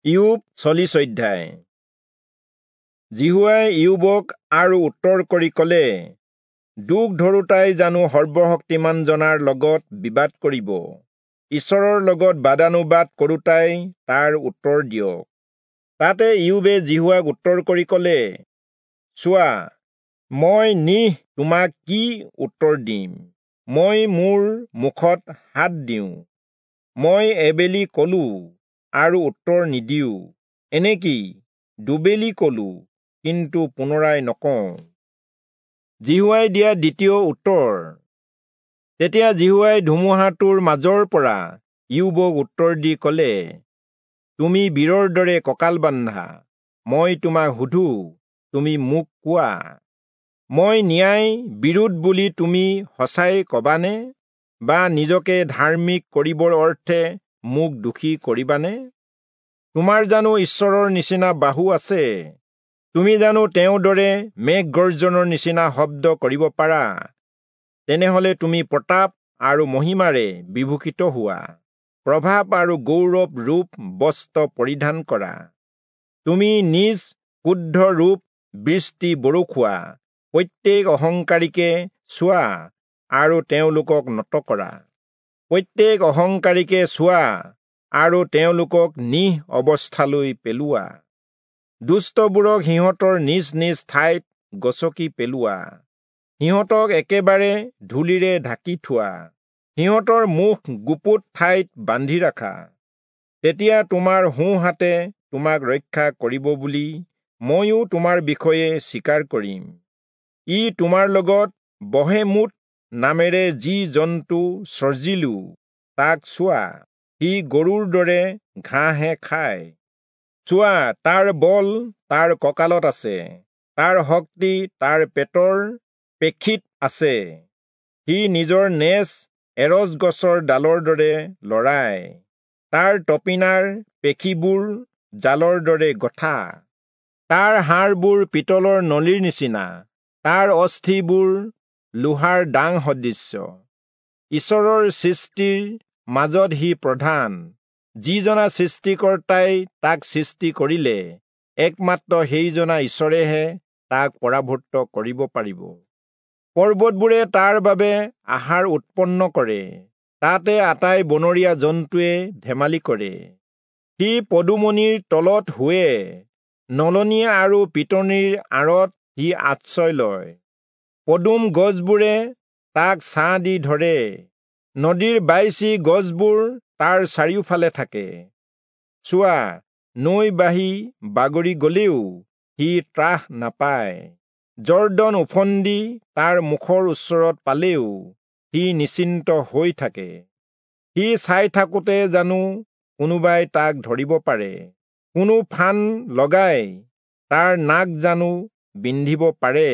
ইয়োব 40 অধ্যায়। যিহোৱাই ইয়োবক আৰু উত্তৰ কৰি কলে, দুখ ধৰোতাই জানো সৰ্বশক্তিমান জনাৰ লগত বিবাদ কৰিব? ঈশ্বৰৰ লগত বাদানুবাদ কৰোতাই তাৰ উত্তৰ দিয়ক। তাতে ইয়োবে যিহোৱাক উত্তৰ কৰি কলে, চোৱা, মই নিহ তোমাক কি উত্তৰ দিম? মই মোৰ মুখত হাত দিওঁ। মই এবেলি কলো আৰু উত্তৰ নিদিওঁ, এনেকি দুবেলি কলো, কিন্তু পুনৰাই নকওঁ। যিহোৱাই দিয়া দ্বিতীয় উত্তৰ। তেতিয়া যিহোৱাই ধুমুহাটোৰ মাজৰ পৰা ইয়োবক উত্তৰ দি কলে, তুমি বীৰৰ দৰে কঁকাল বান্ধা, মই তোমাক সোধো, তুমি মোক কোৱা। মই ন্যায় বিৰোধ বুলি তুমি সঁচাই কবানে? বা নিজকে ধাৰ্মিক কৰিবৰ অৰ্থে মোক দোষী কৰিবানে? তোমাৰ জানো ঈশ্বৰৰ নিচিনা বাহু আছে? তুমি জানো তেওঁৰ দৰে মেঘ গৰ্জনৰ নিচিনা শব্দ কৰিব পাৰা? তেনেহলে তুমি প্ৰতাপ আৰু মহিমাৰে বিভূষিত হোৱা, প্ৰভাৱ আৰু গৌৰৱ ৰূপ বস্ত্ৰ পৰিধান কৰা। তুমি নিজ ক্ৰুদ্ধ ৰূপ বৃষ্টি বৰষুৱা, প্ৰত্যেক অহংকাৰীকে চোৱা আৰু তেওঁলোকক নত কৰা। প্ৰত্যেক অহংকাৰীকে চোৱা আৰু তেওঁলোকক নিহ অৱস্থালৈ পেলোৱা। দুষ্টবোৰক সিহঁতৰ নিজ নিজ ঠাইত গচকি পেলোৱা, সিহঁতক একেবাৰে ধূলিৰে ঢাকি থোৱা, সিহঁতৰ মুখ গুপুত ঠাইত বান্ধি ৰাখা। তেতিয়া তোমাৰ সোঁহাতে তোমাক ৰক্ষা কৰিব বুলি ময়ো তোমাৰ বিষয়ে স্বীকাৰ কৰিম। ই তোমাৰ লগত বহেমুত নামেৰে যি জন্তু সৰ্জিলো, তাক চোৱা, সি গৰুৰ দৰে ঘাঁহহে খায়। চোৱা, তাৰ বল তাৰ কঁকালত আছে, তাৰ শক্তি তাৰ পেটৰ পেশীত আছে। সি নিজৰ নেজ এৰচ গছৰ ডালৰ দৰে লৰায়, তাৰ তপিনাৰ পেশীবোৰ জালৰ দৰে গঠা। তাৰ হাড়বোৰ পিতলৰ নলীৰ নিচিনা, তাৰ অস্থিবোৰ লোহাৰ ডাং সদৃশ্য। ঈশ্বৰৰ সৃষ্টিৰ মাজত সি প্ৰধান। যিজনা সৃষ্টিকৰ্তাই তাক সৃষ্টি কৰিলে, একমাত্ৰ সেইজনা ঈশ্বৰেহে তাক পৰাভূত কৰিব পাৰিব। পৰ্বতবোৰে তাৰ বাবে আহাৰ উৎপন্ন কৰে, তাতে আটাই বনৰীয়া জন্তুৱে ধেমালি কৰে। সি পদুমনিৰ তলত শোৱে, নলনী আৰু পিটনিৰ আঁৰত সি আশ্ৰয় লয়। পদুম গছবোৰে তাক ছাঁ দি ধৰে, নদীৰ বাইচি গছবোৰ তাৰ চাৰিওফালে থাকে। চোৱা, নৈ বাঢ়ি বাগৰি গলেও সি ত্ৰাস নাপায়, যৰ্দন ওফন্দি তাৰ মুখৰ ওচৰত পালেও সি নিশ্চিন্ত হৈ থাকে। সি চাই থাকোঁতে জানো কোনোবাই তাক ধৰিব পাৰে? কোনো ফান লগাই তাৰ নাক জানো বিন্ধিব পাৰে?